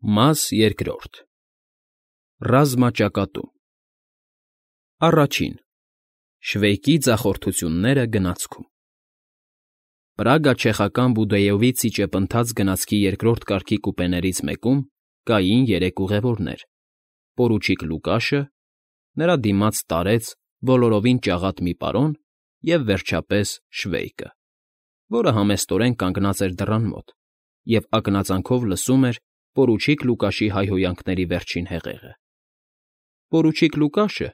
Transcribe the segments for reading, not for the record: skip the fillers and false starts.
Մաս երկրորդ Ռազմաճակատում Առաջին Շվեյկի ձախորդությունները գնացքում Պրագա-չեխական Բուդեյովի ցիճեպընթաց գնացքի երկրորդ կարգի կուպեներից մեկում կային երեք ուղևորներ. պորուչիկ Լուկաշը, նրա դիմաց տարեց բոլորովին ճաղատ մի պարոն և, վերջապես, Շվեյկը, որը համեստորեն կանգնած էր դռան մոտ և ակնածանքով լսում էր պորուչիկ Լուկաշի հայհոյանքների վերջին հեղեղը։ Պորուչիկ Լուկաշը,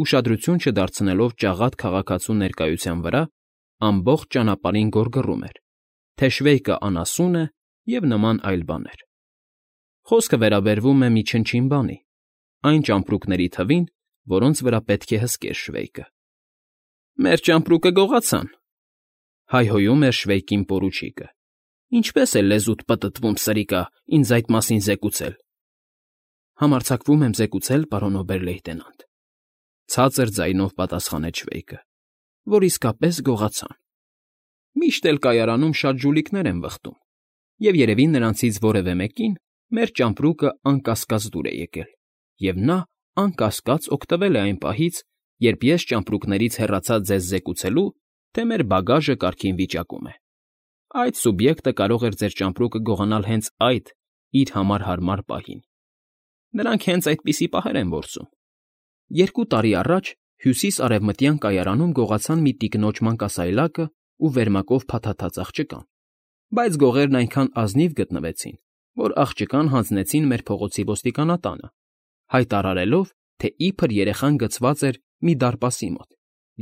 ուշադրություն չդարձնելով ճաղատ քաղաքացու ներկայության վրա, ամբողջ ճանապարհին գոռգռում էր, թե Շվեյկը անասուն է և նման այլ բաներ։ Խոսքը վերաբերվում է մի չնչին բանի, այն ճամպրուկների թվին, որոնց վրա պետք է հսկեր Շվեյկը։ «Մեր ճամպրուկը գողացան», հայհոյում էր Շվեյկին պորուչիկը։ «Ինչպե՞ս է լեզուդ պտտվում, սրիկա, ինձ այդ մասին զեկուցել»։ «Համարձակվում եմ զեկուցել, պարոն օբեր֊լեյտենանտ», ցածր ձայնով պատասխանեց Շվեյկը, «որ իսկապես գողացան։ Միշտ էլ կայարանում շատ ժուլիկներ են վխտում, և երևի նրանցից որևէ մեկին մեր ճամպրուկը անկասկած դուր է եկել, և նա անկասկած օգտվել է այն պահից, երբ ես ճամպրուկներից հեռացա ձեզ զեկուցելու, թե մեր բագաժը կարգին վիճակում է։ Այդ սուբյեկտը կարող էր ձեր ճամպրուկը գողանալ հենց այդ իր համար հարմար պահին։ Նրանք հենց այդպիսի պահեր են որսում։ 2 տարի առաջ հյուսիս֊արևմտյան կայարանում գողացան մի տիկնոջ մանկասայլակը ու վերմակով փաթաթած աղջկան, բայց գողերն այնքան ազնիվ գտնվեցին, որ աղջկան հանձնեցին մեր փողոցի ոստիկանատանը, հայտարարելով, թե իբր երեխան գցված էր մի դարպասի մոտ,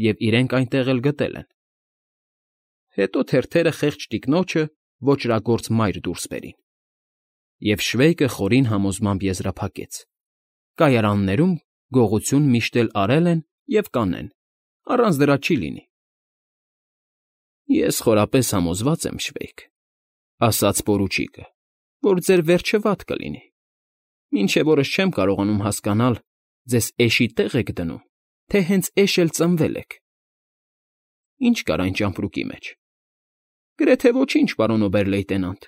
և իրենք այնտեղ էլ գտել են։ Հետո թերթերը խեղճ տիկնոջը ոճրագործ մայր դուրս բերին։ Եվ Շվեյկը խորին համոզմամբ եզրափակեց. «Կայարաններում գողություն միշտ էլ արել են և կանեն, առանց դրա չի լինի»։ «Ես խորապես համոզված եմ, Շվեյկ», ասաց պորուչիկը, «որ ձեր վերջը վատ կլինի, մինչև օրս չեմ կարողանում հասկանալ, ձեզ էշի տեղ եք դնում, թե հենց էշ էլ ծնվել եք։ Ի՞նչ կար այն ճամպրուկի մեջ»։ «Գրեթե ոչինչ, պարոն օբեր֊լեյտենանտ»,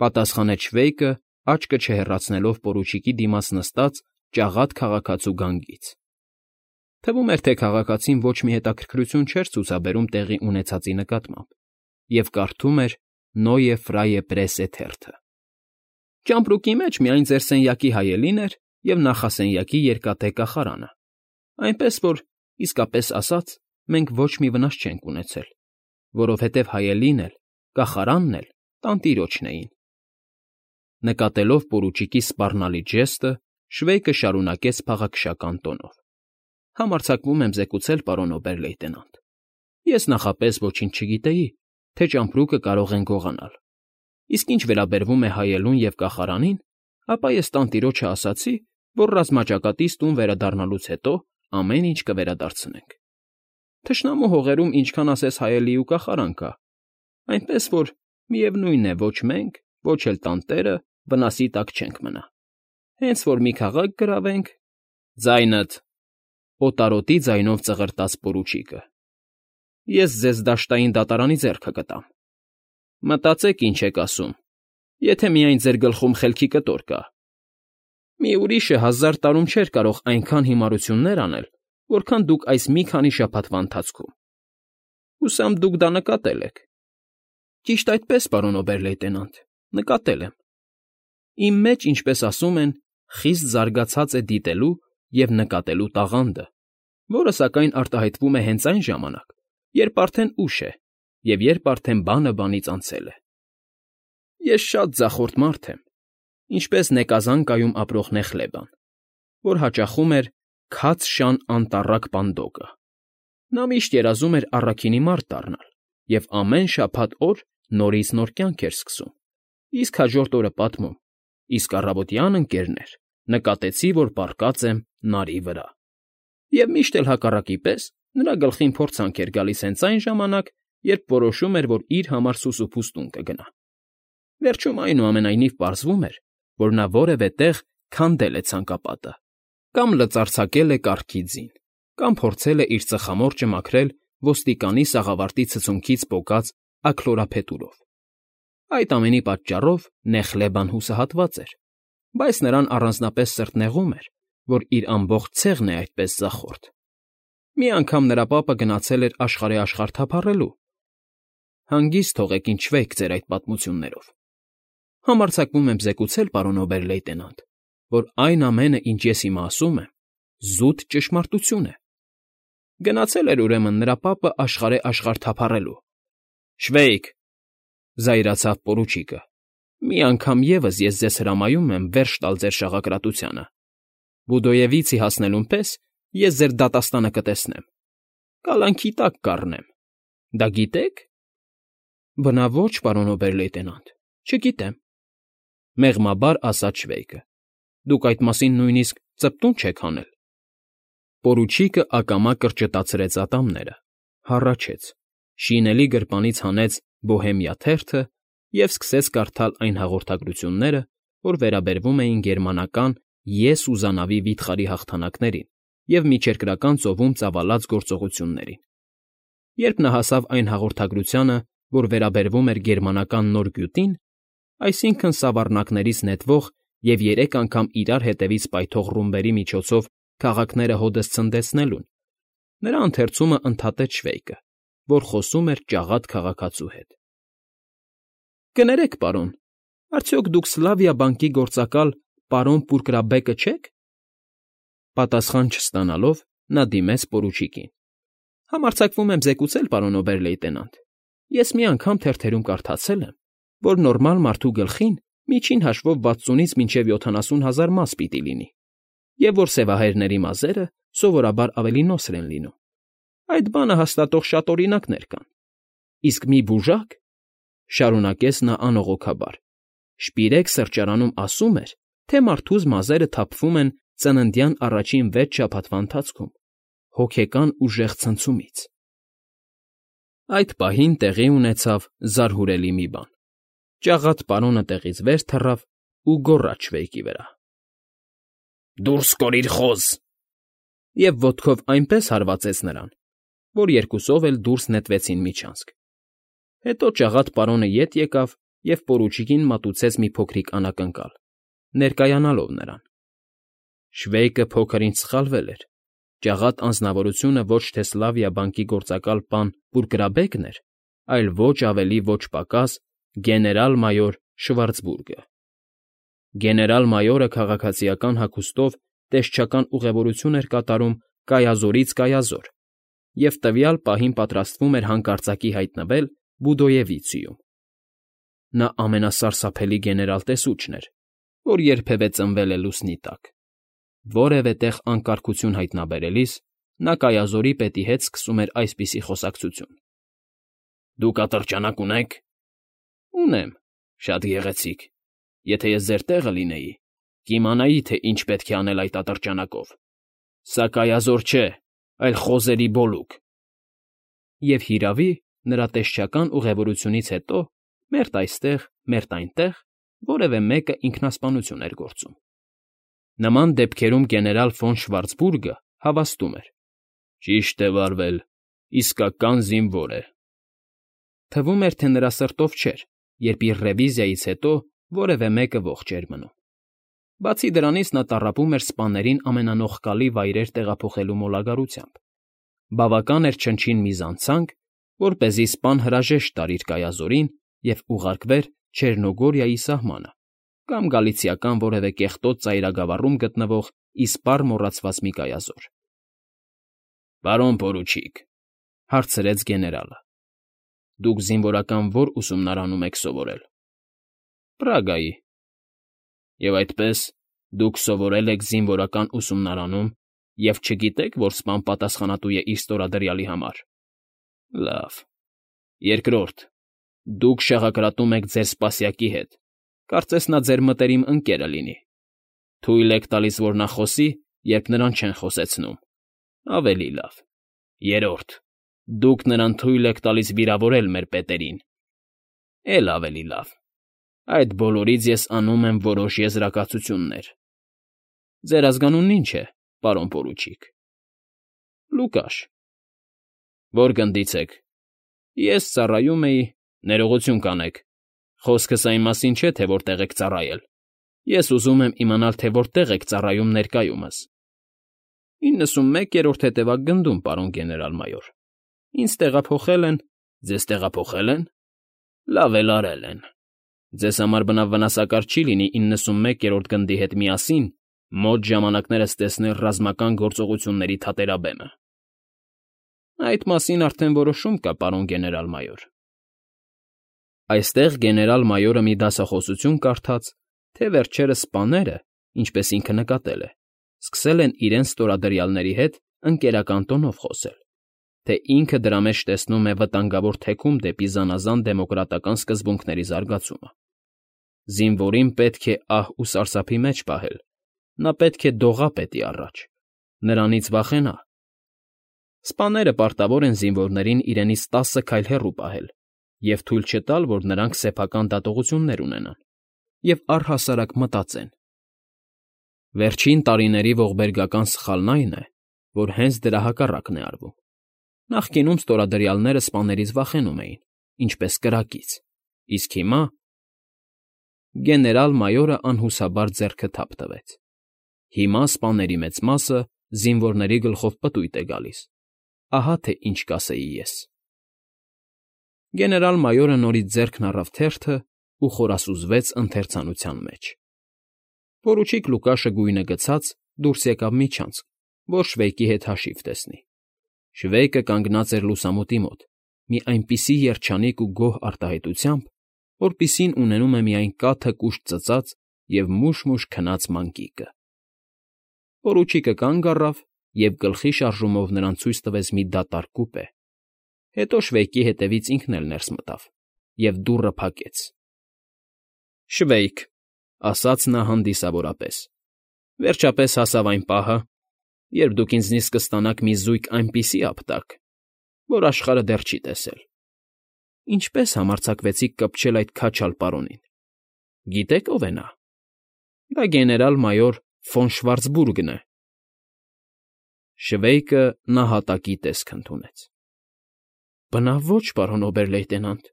պատասխանեց Շվեյկը, աչքը չհեռացնելով պորուչիկի դիմաց նստած ճաղատ քաղաքացու գանգից։ Թվում էր, թե քաղաքացին ոչ մի հետաքրքրություն չէր ցուցաբերում տեղի ունեցածի նկատմամբ և կարդում էր Neue Freie Presse թերթը։ «Ճամպրուկի մեջ միայն ձեր սենյակի հայելին էր և նախասենյակի երկաթե կախարանը, այնպես որ, իսկապես ասած, մենք ոչ մի վնաս չենք ունեցել, որովհետև հայելին էլ, կախարանն էլ տանտիրոջն էին»։ Նկատելով պորուչիկի սպառնալի ժեստը, Շվեյկը շարունակեց փաղաքշական տոնով. «Համարձակվում եմ զեկուցել, պարոն օբեր֊լեյտենանտ, ես նախապես ոչինչ չգիտեի, թե ճամպրուկը կարող են գողանալ, իսկ ինչ վերաբերվում է հայելուն և կախարանին, ապա ես տանտիրոջը ասացի, որ ռազմաճակատից տուն վերադառնալուց հետո ամեն ինչ կվերադարձնենք։ Թշնամու հողերում ինչքան ասես հայելի ու կախարան կա, այնպես որ, միևնույն է, ոչ մենք, ոչ էլ տանտերը վնասի տակ չենք մնա։ Հենց որ մի քաղաք գրավենք…» «Ձայնդ…» օտարոտի ձայնով ծղրտաց պորուչիկը։ «Ես ձեզ դաշտային դատարանի ձեռքը կտամ։ Մտածեք ինչ եք ասում, եթե միայն ձեր գլխում խելքի կտոր կա։ Մի ուրիշը 1000 տարում չէր կարող այնքան հիմարություններ անել, որքան դուք այս մի քանի շաբաթվա ընթացքում։ Հուսամ դուք դա նկատել եք»։ «Ճիշտ այդպես, պարոն օբեր֊լեյտենանտ, նկատել եմ։ Իմ մեջ, ինչպես ասում են, խիստ զարգացած է դիտելու և նկատելու տաղանդը, որը, սակայն, արտահայտվում է հենց այն ժամանակ, երբ արդեն ուշ է և երբ արդեն բանը բանից անցել է։ Ես շատ ձախորդ մարդ եմ, ինչպես Նեկազանկայում ապրող Նեխլեբան, որ հաճախում էր «քաց շան անտառակ պանդոկը»։ Նա միշտ երազում էր առաքինի մարդ դառնալ և ամեն շաբաթ օր նորից նոր կյանք էր սկսում, իսկ հաջորդ օրը պատմում. «Իսկ առավոտյան, ընկերներ, նկատեցի, որ պառկած եմ նարի վրա»։ Եվ միշտ էլ հակառակի պես նրա գլխին փորձանք էր գալիս հենց այն ժամանակ, երբ որոշում էր, որ իր համար սուսուփուս տուն կգնա։ Վերջում, այնուամենայնիվ, պարզվում էր, որ նա որևէ տեղ քանդել է ցանկապատը, կամ լծարձակել է կառքի ձին, կամ փորձել է իր ծխամորճը մաքրել ոստիկանի սաղավարտի ցցունքից պոկած աքլորափետուրով։ Այդ ամենի պատճառով Նեխլեբան հուսահատված էր, Բայց նրան առանձնապես սրտնեղում էր, որ իր ամբողջ ցեղն է այդպես ձախորդ։ Մի անգամ նրա պապը գնացել էր աշխարհի աշխարհ թափառելու։ Հանգիստ թողեք, ինչ չվեք ձեր այդ պատմություններով։ Համարձակվում եմ զեկուցել, պարոն օբեր֊լեյտենանտ, որ այն ամենը, ինչ ես հիմա ասում եմ, զուտ ճշմարտություն է։ Գնացել էր ուրեմն նրա պապը աշխարհի աշխարհ թափառելու։ Շվեյք, զայրացավ պորուչիկը, մի անգամ ևս ես ձեզ հրամայում եմ վերջ տալ ձեր շաղակրատությանը։ Բուդոևիցի հասնելուն պես ես ձեր դատաստանը կտեսնեմ։ Կալանքի տակ կառնեմ։ Դա գիտեք։ Բնավ ոչ, պարոն օբեր֊լեյտենանտ, չգիտեմ, մեղմաբար ասաց Շվեյկը։ Դուք այդ մասին նույնիսկ ծպտուն չեք հանել։ Պորուչիկը ակամա կրճտացրեց ատամները, հառաչեց, շինելի գրպանից հանեց Բոհեմիա թերթը և սկսեց կարդալ այն հաղորդագրությունները, որ վերաբերվում էին գերմանական «Ես ու զանավի վիթխարի» հաղթանակներին և միջերկրական ծովում ծավալած գործողություններին։ Երբ նա հասավ այն հաղորդագրությանը, որ վերաբերվում էր գերմանական նոր գյուտին, այսինքն՝ սավառնակներից նետվող և 3 անգամ իրար հետևից պայթող ռումբերի միջոցով քաղաքները հօդս ցնդեցնելուն, նրա ընթերցումը ընդհատեց Շվեյկը, որ խոսում էր ճաղատ քաղաքացու հետ։ Կներեք, պարոն, արդյոք դուք Սլավիա բանկի գործակալ պարոն Պուրկրաբեկը չեք։ Պատասխան չստանալով նա դիմեց պորուչիկին։ Համարձակվում եմ զեկուցել, պարոն օբեր֊լեյտենանտ, ես մի անգամ թերթերում կարդացել եմ, որ նորմալ մարդու գլխին միջին հաշվով 60-ից մինչև 70,000 մաս պիտի լինի, և որ սևահայրների մազերը սովորաբար ավելի նոսր են լինում։ Այդ բանը հաստատող շատ օրինակներ կան։ Իսկ մի բուժակ, շարունակեց նա անողոքաբար, Շպիրեկ սրճարանում ասում էր, թե մարդուս մազերը թափվում են ծննդյան առաջին 6 շաբաթվա ընթացքում, հոգեկան ուժեղ ցնցումից։ Այդ պահին տեղի ունեցավ զարհուրելի մի բան։ Ճաղատ պարոնը տեղից վեր թռավ ու գոռաց Շվեյկի վրա. «Դուրս կորիր, խոզ»։ Եվ ոտքով այնպես հարվածեց նրան, որ երկուսով էլ դուրս նետվեցին միջանցք։ Հետո ճաղատ պարոնը ետ եկավ և պորուչիկին մատուցեց մի փոքրիկ անակնկալ, ներկայանալով նրան։ Շվեյկը փոքր ինչ սխալվել էր։ Ճաղատ անձնավորությունը ոչ թե Սլավիա բանկի գործակալ պան Պուրկրաբեկն էր, այլ ոչ ավելի ոչ պակաս գեներալ֊մայոր Շվարցբուրգը։ Գեներալ֊մայորը քաղաքացիական հագուստով տեսչական ուղևորություն էր կատարում Կայազորից Կայազոր և տվյալ պահին պատրաստվում էր հանկարծակի հայտնվել Բուդոևիցիում։ Նա ամենասարսափելի գեներալ֊տեսուչն էր, որ երբևէ ծնվել է լուսնի տակ։ Որևէ տեղ անկարգություն հայտնաբերելիս նա Կայազորի պետի հետ սկսում էր այսպիսի խոսակցություն. «Դուք ատրճանակ ունե՞ք»։ «Ունեմ, շատ գեղեցիկ։ Եթե ես ձեր տեղը լինեի, կիմանայի, թե ինչ պետք է անել այդ ատրճանակով։ Սա Կայազոր չէ, այլ խոզերի բոլուկ»։ Եվ հիրավի, նրա տեսչական ուղևորությունից հետո, մերթ այստեղ, մերթ այնտեղ, որևէ մեկը ինքնասպանություն էր գործում։ Նման դեպքերում գեներալ ֆոն Շվարցբուրգը հավաստում էր. «Ճիշտ է վարվել, իսկական զինվոր է»։ Թվում էր, թե նրա սրտով չէր, երբ իր ռևիզիայից հետո որևէ մեկը ողջ էր մնում։ Բացի դրանից նա տառապում էր սպաներին ամենանողկալի վայրեր տեղափոխելու մոլագարությամբ։ Բավական էր չնչին մի զանցանք, որպեսզի սպան հրաժեշտ տար իր Կայազորին և ուղարկվեր Չեռնոգորիայի սահմանը կամ գալիցիական որևէ կեղտոտ ծայրագավառում գտնվող իսպառ մոռացված մի կայազոր։ «Պարոն պորուչիկ», հարցրեց գեներալը, «դուք զինվորական ո՞ր ուսումնարանում եք սովորել»։ «Պրագայի»։ «Եվ այդպես դուք սովորել եք զինվորական ուսումնարանում և չգիտեք, որ սպան պատասխանատու է իր ստորադրյալի համար։ Լավ։ Երկրորդ, դուք շաղակրատում եք ձեր սպասյակի հետ, կարծես նա ձեր մտերիմ ընկերը լինի։ Թույլ եք տալիս, որ նա խոսի, երբ նրան չեն խոսեցնում։ Ավելի լավ։ Երրորդ, դուք նրան թույլ եք տալիս վիրավորել մեր պետերին։ Էլ ավելի լավ։ Այդ բոլորից ես անում եմ որոշ եզրակացություններ։ Ձեր ազգանունն ի՞նչ է, պարոն պորուչիկ։ Լուկաշ։ Ո՞ր գնդից եք։ Ես ծառայում էի, ներողություն կանեք, խոսքս այն մասին չէ, թե որտեղ եք ծառայել։ Ես ուզում եմ իմանալ, թե որտեղ եք ծառայում ներկայումս։ 91-րդ հետևակգնդում, պարոն գեներալ֊մայոր։ Ինձ տեղափոխել են։ Ձեզ տեղափոխել են։ Լավ էլ արել են։ Ձեզ համար բնավ վնասակար չի լինի 91-րդ գնդի հետ միասին մոտ ժամանակներս տեսնել ռազմական գործողությունների թատերաբեմը։ Այդ մասին արդեն որոշում կա, պարոն գեներալ֊մայոր։ Այստեղ գեներալ֊մայորը մի դասախոսություն կարդաց, թե վերջերս սպաները, ինչպես ինքը նկատել է, սկսել են իրենց ստորադրյալների հետ ընկերական տոնով խոսել, թե ինքը դրա մեջ տեսնում է վտանգավոր թեքում դեպի զանազան դեմոկրատական սկզբունքների զարգացումը։ Զինվորին պետք է ահ ու սարսափի մեջ պահել, նա պետք է դողա պետի առաջ, նրանից վախենա։ Սպաները պարտավոր են զինվորներին իրենից 10 քայլ հեռու պահել և թույլ չտալ, որ նրանք սեփական դատողություններ ունենան և առհասարակ մտածեն։ Վերջին տարիների ողբերգական սխալն այն է, որ հենց դրա հակառակն է արվում։ Նախկինում ստորադրյալները սպաներից վախենում էին, ինչպես կրակից, իսկ հիմա… Գեներալ֊մայորը անհուսաբար ձեռքը թափ տվեց։ Հիմա սպաների մեծ մասը զինվորների գլխով պտույտ է գալիս։ Ահա թե ինչ կասեի ես։ Գեներալ֊մայորը նորից ձեռքն առավ թերթը ու խորասուզվեց ընթերցանության մեջ։ Պորուչիկ Լուկաշը գույնը գցած դուրս եկավ միջանցք, որ Շվեյկի հետ հաշիվ տեսնի։ Շվեյկը կանգնած էր լուսամուտի մոտ, մի այնպիսի երջանիկ ու գոհ արտահայտությամբ, որպիսին ունենում է միայն կաթը կուշտ ծծած և մուշ֊մուշ քնած մանկիկը։ Պորուչիկը կանգ առավ և գլխի շարժումով նրան ցույց տվեց մի դատարկ կուպե։ Հետո Շվեյկի հետևից ինքն էլ ներս մտավ և դուռը փակեց։ ֊ Շվեյք,֊ ասաց նա հանդիսավորապես,֊ վերջապես հասավ այն պահը, երբ դուք ինձնից կստանաք մի զույգ այնպիսի ապտակ, որ աշխարհը դեռ չի տեսել։ Ինչպե՞ս համարձակվեցիք կպչել այդ քաչալ պարոնին։ Գիտե՞ք ով է նա։ Դա գեներալ֊մայոր ֆոն Շվարցբուրգն է։ Շվեյկը նահատակի տեսք ընդունեց։ Բնավ ոչ, պարոն օբեր֊լեյտենանտ։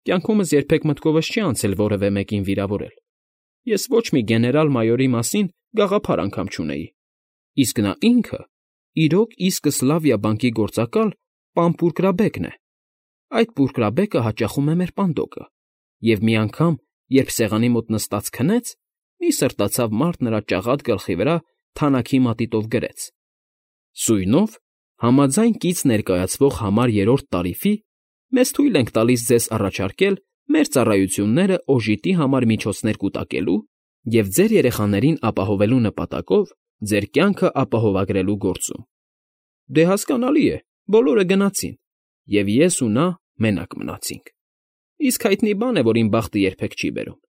Կյանքումս երբեք մտքովս չի անցել որևէ մեկին վիրավորել։ Ես ոչ մի գեներալ֊մայորի մասին գաղափար անգամ չունեի։ Իսկ նա ինքը իրոք իսկը Սլավիա բանկի գործակալ պան Պուրկրաբեկն է։ Այդ պուրկրաբեկը հաճախում է մեր պանդոկը, և մի անգամ, երբ սեղանի մոտ նստած քնեց, մի սրտացավ մարդ նրա ճաղատ գլխի վրա թանաքի մատիտով գրեց. «Սույնով, համաձայն կից ներկայացվող համար 3-րդ տարիֆի, մեզ թույլ ենք տալիս ձեզ առաջարկել մեր ծառայությունները օժիտի համար միջոցներ կուտակելու և ձեր երեխաներին ապահովելու նպատակով ձեր կյանքը ապահովագրելու գործում»։ Դե հասկանալի է, բոլորը գնացին, և ես ու նա մենակ մնացինք։ Իսկ հայտնի բան է, որ իմ բախտը երբեք չի բերում։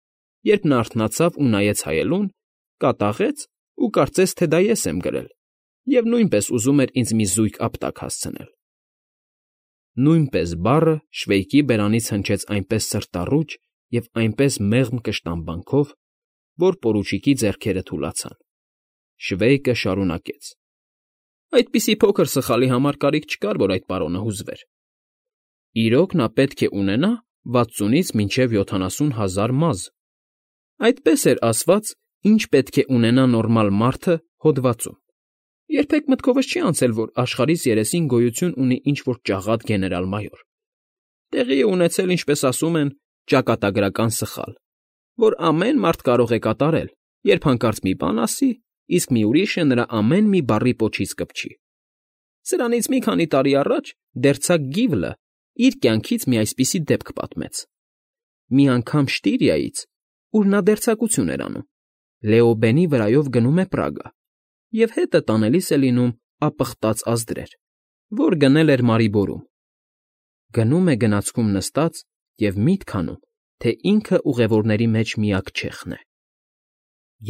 Երբ նա արթնացավ ու նայեց հայելուն, կատաղեց ու կարծեց, թե դա ես եմ գրել, և նույնպես ուզում էր ինձ մի զույգ ապտակ հասցնել։ Նույնպես բառը Շվեյկի բերանից հնչեց այնպես սրտառուչ և այնպես մեղմ կշտամբանքով, որ պորուչիկի ձեռքերը թուլացան։ Շվեյկը շարունակեց. Այդպիսի փոքր սխալի համար կարիք չկար, որ այդ պարոնը հուզվեր։ Իրոք նա պետք է ունենա 60-ից մինչև 70,000 մազ։ Այդպես էր ասված, ինչ պետք է ունենա նորմալ մարդը հոդվածում։ Երբեք մտքովս չի անցել, որ աշխարհիս երեսին գոյություն ունի ինչ֊որ ճաղատ գեներալ֊մայոր։ Տեղի է ունեցել, ինչպես ասում են, ճակատագրական սխալ, որ ամեն մարդ կարող է կատարել, երբ հանկարծ մի բան ասի, իսկ մի ուրիշը նրա ամեն մի բառի պոչից կպչի։ Սրանից մի քանի տարի առաջ դերձակ Գիվլը իր կյանքից մի այսպիսի դեպք պատմեց։ Մի անգամ Շտիրիայից, ուր նա դերձակություն էր անում, Լեոբենի վրայով գնում է Պրագա և հետը տանելիս է լինում ապխտած ազդրեր, որ գնել էր Մարիբորում։ Գնում է գնացքում նստած և միտք անում, թե ինքը ուղևորների մեջ միակ չեխն է։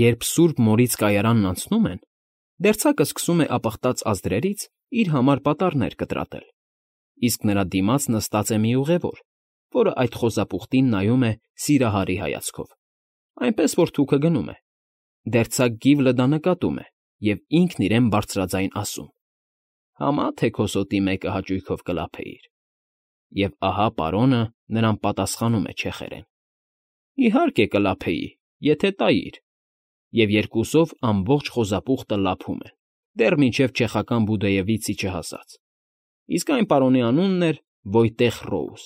Երբ Սուրբ Մորից կայարանն անցնում են, դերձակը սկսում է ապխտած ազդրերից իր համար պատառներ կտրատել, իսկ նրա դիմաց նստած է մի ուղևոր, որը այդ խոզապուխտին նայում է սիրահարի հայացքով, այնպես որ թուքը գնում է։ Դերձակ Գիվլը դա նկատում է և ինքն իրեն բարձրաձայն ասում. «Համա թե քո սոտի մեկը հաճույքով կլափեիր»։ Եվ ահա պարոնը նրան պատասխանում է չեխերեն. «Իհարկե կլափեի, եթե տայիր»։ և երկուսով ամբողջ խոզապուխտը լափում են, դեռ մինչև չեխական Բուդեևիցի չհասած, իսկ այն պարոնի անունն էր Վոյտեխ Ռոուզ։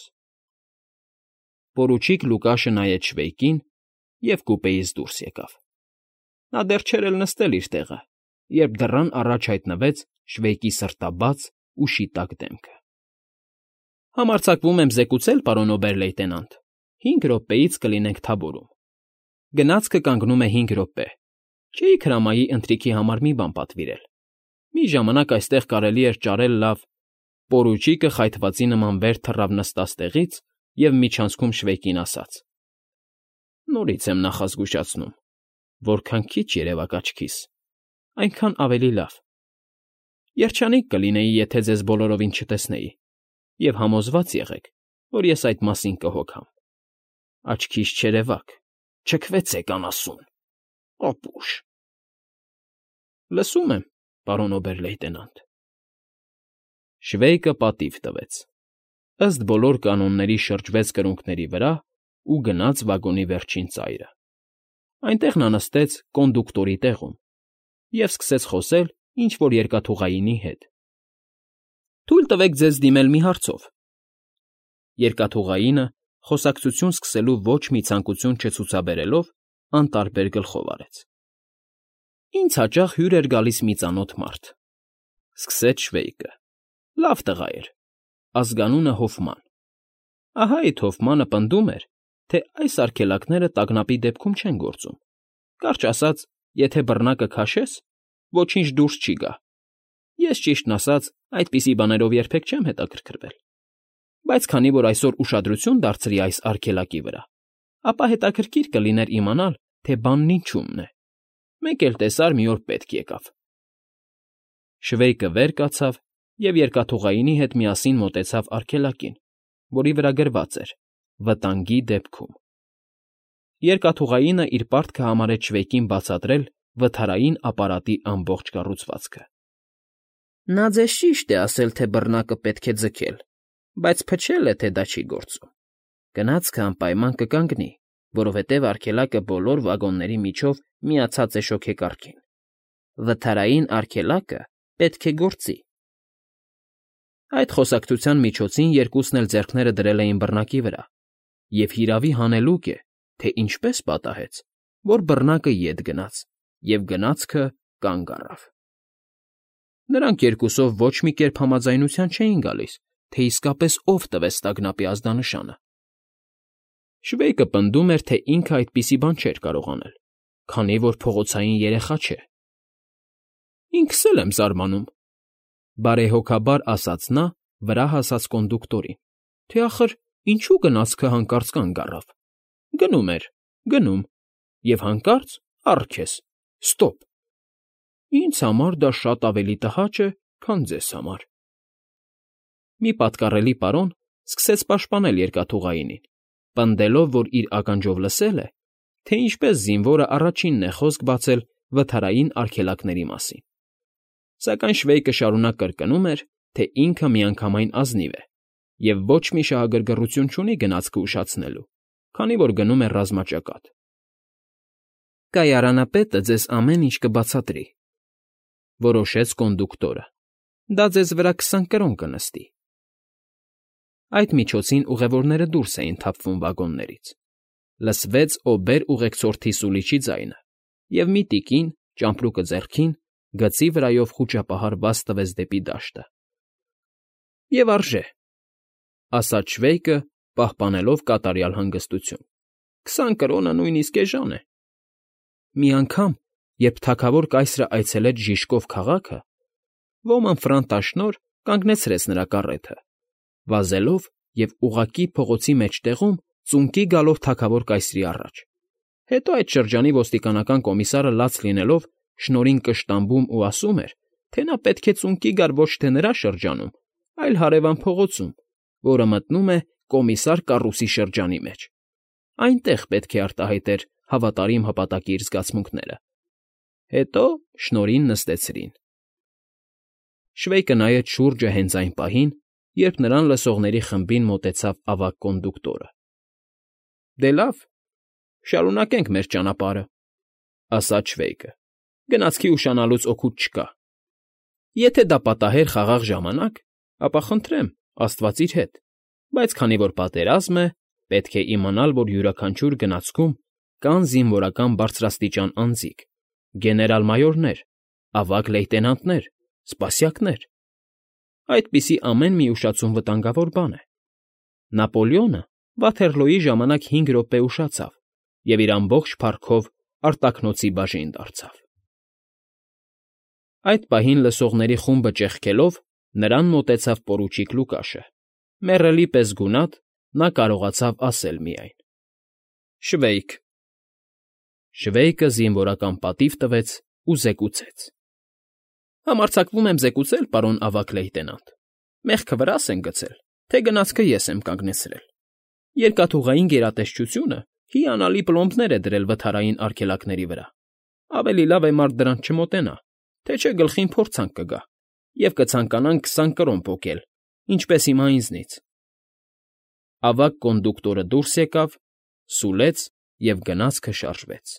Պորուչիկ Լուկաշը նայեց Շվեյկին և կուպեից դուրս եկավ։ Նա դեռ չէր էլ նստել իր տեղը, երբ դռան առաջ հայտնվեց Շվեյկի սրտաբաց ու շիտակ դեմքը։ ֊ Համարձակվում եմ զեկուցել, պարոն օբեր֊լեյտենանտ, 5 րոպեից կլինենք թագավորում։ Գնացքը կանգնում է 5 րոպե։ Չէիք հրամայի ընթրիքի համար մի բան պատվիրել։ Մի ժամանակ այստեղ կարելի էր ճարել լավ… Պորուչիկը խայթվածի նման վեր թռավ նստած տեղից և միջանցքում Շվեյկին ասաց. Նորից եմ նախազգուշացնում, որքան քիչ երևաք աչքիս, այնքան ավելի լավ։ Երջանիկ կլինեի, եթե ձեզ բոլորովին չտեսնեի, և համոզված եղեք, որ ես այդ մասին կհոգամ։ Աչքիս չերևաք, չքվեցեք անասուն, ապուշ… Լսում եմ, պարոն օբեր֊լեյտենանտ։ Շվեյկը պատիվ տվեց, ըստ բոլոր կանոնների շրջվեց կրունկների վրա ու գնաց վագոնի վերջին ծայրը։ Այնտեղ նա նստեց կոնդուկտորի տեղում և սկսեց խոսել ինչ֊որ երկաթուղայինի հետ։ Թույլ տվեք ձեզ դիմել մի հարցով։ Երկաթուղայինը, խոսակցություն սկսելու ոչ մի ցանկություն չցուցաբերելով, անտարբեր գլխով արեց։ Ինձ հաճախ հյուր էր գալիս մի ծանոթ մարդ, սկսեց Շվեյկը։ Լավ տղա էր, ազգանունը Հոֆման։ Ահա այդ Հոֆմանը պնդում էր, թե այս արգելակները տագնապի դեպքում չեն գործում։ Կարճ ասած, եթե բռնակը քաշես, ոչինչ դուրս չի գա։ Ես, ճիշտն ասած, այդպիսի բաներով երբեք չեմ հետաքրքրվել։ Բայց քանի որ այսօր ուշադրություն դարձրի այս արգելակի վրա, ապա հետաքրքիր կլիներ իմանալ, թե բանն ինչումն է։ Մեկ էլ տեսար մի օր պետք եկավ։ Շվեյկը վեր կացավ և երկաթուղայինի հետ միասին մոտեցավ արգելակին, որի վրա գրված էր. «Վտանգի դեպքում»։ Երկաթուղայինը իր պարտքը համարեց Շվեյկին բացատրել վթարային ապարատի ամբողջ կառուցվածքը։ Նա ձեզ ճիշտ է ասել, թե բռնակը պետք է ձգել, բայց փչել է, թե դա չի գործում։ Գնացքը անպայման կկանգնի, որովհետև արգելակը բոլոր վագոնների միջով միացած է շոգեկառքին։ Վթարային արգելակը պետք է գործի։ Այդ խոսակցության միջոցին երկուսն էլ ձեռքները դրել էին բռնակի վրա, և հիրավի հանելուկ է, թե ինչպես պատահեց, որ բռնակը ետ գնաց, և գնացքը կանգ առավ։ Նրանք երկուսով ոչ մի կերպ համաձայնության չէին գալիս, թե իսկապես ով տվեց տագնապի ազդանշանը։ Շվեյկը պնդում էր, թե ինքը այդպիսի բան չէր կարող անել, քանի որ փողոցային երեխա չէ։ Ինքս էլ եմ զարմանում, բարեհոգաբար ասաց նա վրա հասած կոնդուկտորին, թե ախր ինչու գնացքը հանկարծ կանգ առավ։ Գնում էր, գնում, և հանկարծ առք ես, ստոպ։ Ինձ համար դա շատ ավելի տհաճ է, քան ձեզ համար։ Մի պատկառելի պարոն սկսեց պաշտպանել երկաթուղայինին, պնդելով, որ իր ականջով լսել է, թե ինչպես զինվորը առաջինն է խոսք բացել վթարային արգելակների մասին։ Սակայն Շվեյկը շարունակ կրկնում էր, թե ինքը միանգամայն ազնիվ է և ոչ մի շահագրգռություն չունի գնացքը ուշացնելու, քանի որ գնում է ռազմաճակատ։ Կայարանապետը ձեզ ամեն ինչ կբացատրի, որոշեց կոնդուկտորը։ Դա ձեզ վրա 20 կրոն կնստի։ Այդ միջոցին ուղևորները դուրս էին թափվում վագոններից։ Լսվեց օբեր֊ուղեկցորդի սուլիչի ձայնը, և մի տիկին, ճամպրուկը ձեռքին, գծի վրայով խուճապահար բաց տվեց դեպի դաշտը։ Եվ արժե, ասաց Շվեյկը, պահպանելով կատարյալ հանգստություն։ 20 կրոնը նույնիսկ էժան է։ Մի անգամ, երբ թագավոր կայսրը այցելեց Ժիժկով քաղաքը, ոմն ֆրանտաշնորհ կանգնեցրեց նրա կառեթը, վազելով և ուղղակի փողոցի մեջտեղում ծունկի գալով թագավոր կայսրի առաջ։ Հետո այդ շրջանի ոստիկանական կոմիսարը լաց լինելով Շնորհին կշտամբում ու ասում էր, թե նա պետք է ծունկի գար ոչ թե նրա շրջանում, այլ հարևան փողոցում, որը մտնում է Կոմիսար Կառուսի շրջանի մեջ։ Այնտեղ պետք է արտահայտեր հավատարիմ հպատակի իր զգացմունքները։ Հետո Շնորհին նստեցրին։ Շվեյկը նայեց շուրջը հենց այն պահին, երբ նրան լսողների խմբին մոտեցավ ավագ կոնդուկտորը։ Դե լավ, շարունակենք մեր ճանապարհը։ ասաց Շվեյկը։ Գնացքի ուշանալուց օգուտ չկա։ Եթե դա պատահեր խաղաղ ժամանակ, ապա խնդրեմ, աստված իր հետ, բայց քանի որ պատերազմ է, պետք է իմանալ, որ յուրաքանչյուր գնացքում կան զինվորական բարձրաստիճան անձիկ, գեներալ֊մայորներ, ավագ լեյտենանտներ, սպասյակներ։ Այդպիսի ամեն մի ուշացում վտանգավոր բան է։ Նապոլեոնը Վաթերլոյի ժամանակ 5 րոպե ուշացավ և իր ամբողջ փառքով արտաքնոցի բաժին դարձավ։ Այդ պահին լսողների խումբը ճեղքելով, նրան մոտեցավ պորուչիկ Լուկաշը։ Մեռելի պես գունատ, նա կարողացավ ասել միայն. «Շվեյք»։ Շվեյկը զինվորական պատիվ տվեց ու զեկուցեց. «Համարձակվում եմ զեկուցել, պարոն ավագ լեյտենանտ, մեղքը վրաս են գցել, թե գնացքը ես եմ կանգնեցրել։ Երկաթուղային գերատեսչությունը հիանալի պլոմբներ է դրել վթարային արգելակների վրա։ Ավելի լավ է մարդ դրանց չմոտենա, թե չէ գլխին փորձանք կգա, և կցանկանան 20 կրոն պոկել, ինչպես հիմա ինձնից»։ Ավագ կոնդուկտորը դուրս եկավ, սուլեց, և գնացքը շարժվեց։